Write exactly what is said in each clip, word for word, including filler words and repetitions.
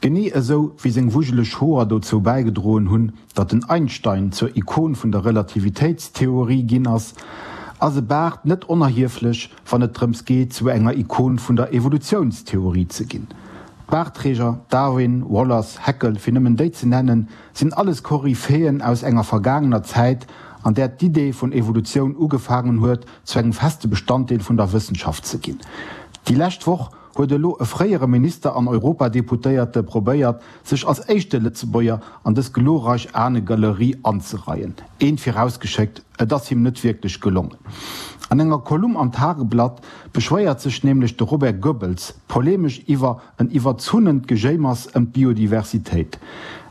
Genee esou wéi seng wujeleg Hoer dozou bäigedroen hunn, datt den Einstein zur Ikon vun der Relativitéitstheorie ginn ass, ass e Baart net onerhieflech, wann et drëms geet, zu enger Ikon vun der Evolutiounstheorie ze ginn. D'Baartträger, Darwin, Wallace, Haeckel, fir nëmmen déi ze nennen, sinn alles Koryphéen aus enger vergaangener Zäit, an där d'Idee vun Evolutioun ugefaangen huet, zu engem feste Bestanddeel vun der Wëssenschaft ze ginn. Déi lescht Woch huet elo e fréiere Minister an Europadeputéierte probéiert, sech als éischte Lëtzebuerger an dës glorreich Ahnegalerie anzereien. Eent virausgeschéckt, Et ass him net wierklech gelongen. An enger Kolumn am Tageblatt beschwéiert sech nämlech de Robert Goebbels polemesch iwwer en iwwerzunnent Gejéimers ëm d'Biodiversitéit.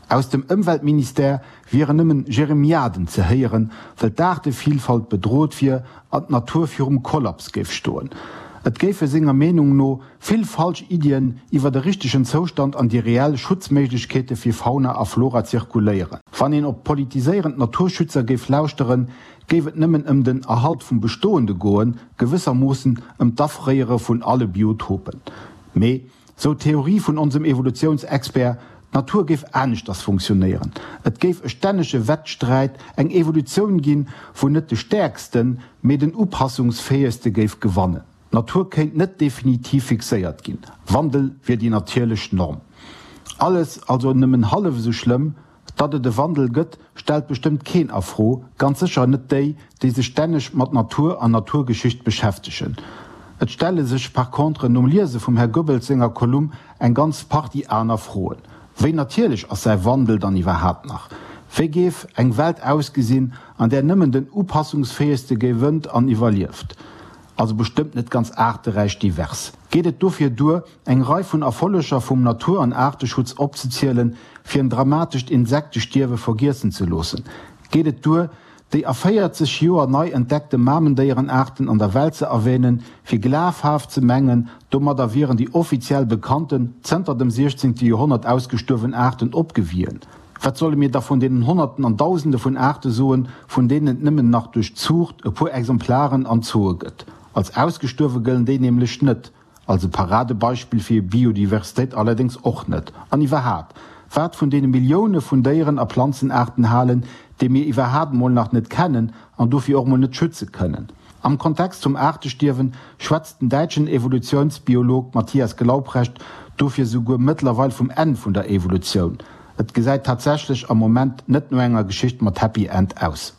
Aus dem Ëmweltministère wieren nëmmen Jeremiaden ze héieren, well d'Aartevilfalt bedrot wier an d'Natur virum Kollaps géif stoen. Et géife senger Meenung no vill falsch Iddien iwwer de richtegen Zoustand an déi reell Schutzméiglechkeete fir Fauna a Flora zirkuléieren. Wann een op politiséierend Naturschützer géif lauschteren, géif et nëmmen ëm den Erhalt vum Bestoende goen, gewëssermoossen ëm d'Afréiere vun alle Biotopen. Mee, sou d'Theorie vun onsem Evolutiounsexpert, d'Natur géif aneschters funktionéieren. Et géif e stännege Wettsträit, eng Evolutioun ginn, wou net de Stäerksten, mee den Upassungsfäegste géif gewannen. D'Natur kéint net definitiv fixéiert ginn, Wandel wier déi natierlech Norm. Alles also nëmmen hallef esou schlëmm. Datt et e Wandel gëtt, stellt bestëmmt keen a Fro, ganz sécher net déi, déi sech stänneg mat Natur an Naturgeschicht beschäftegen. Et stelle sech par contre nom Liese vum Här Goebbels senger Kolumn eng ganz Partie aner Froen. Wéi natierlech ass säi Wandel dann iwwerhaapt nach? Wéi géif eng Welt ausgesinn, an där nëmmen den Upassungsfäegste gewënnt an iwwerlieft? Also bestëmmt net ganz aarteräich divers. Geet et dofir duer, eng Rei vun Erfolleger vum Natur an Aarteschutz opzezielen, fir en dramatescht Insektestierwe vergiessen ze loossen? Geet et duer, déi a véierzeg Joer nei entdeckte Mamendéierenaarten an der Welt ze erwänen, fir glafhaft ze mengen, domadder wieren déi offiziell bekannten, zënter dem siechzéngte Joerhonnert ausgestuerwen Aarten opgewien? Wat solle mir da vun deenen Honnerten an Dausende vun Aarte soen, vun deenen et nëmmen nach duerch Zuucht e puer Exemplaren an Zooe gëtt? Als ausgestuerwe gëllen déi nämlech net, als e Paradebeispill fir Biodiversitéit allerdéngs och net. An iwwerhaat, wat vun deene Millioune vun Déieren a Planzenaarten halen, déi mir iwwerhaat mol nach net kennen an dofir och mol net schütze kënnen? Am Kontext vum Aartestierwen schwätzt den däitschen Evolutiounsbiolog Matthias Glaubrecht dofir souguer mëttlerweil vum Enn vun der Evolutioun. Et gesäit tatsächlech am Moment net no enger Geschicht mat Happy End aus.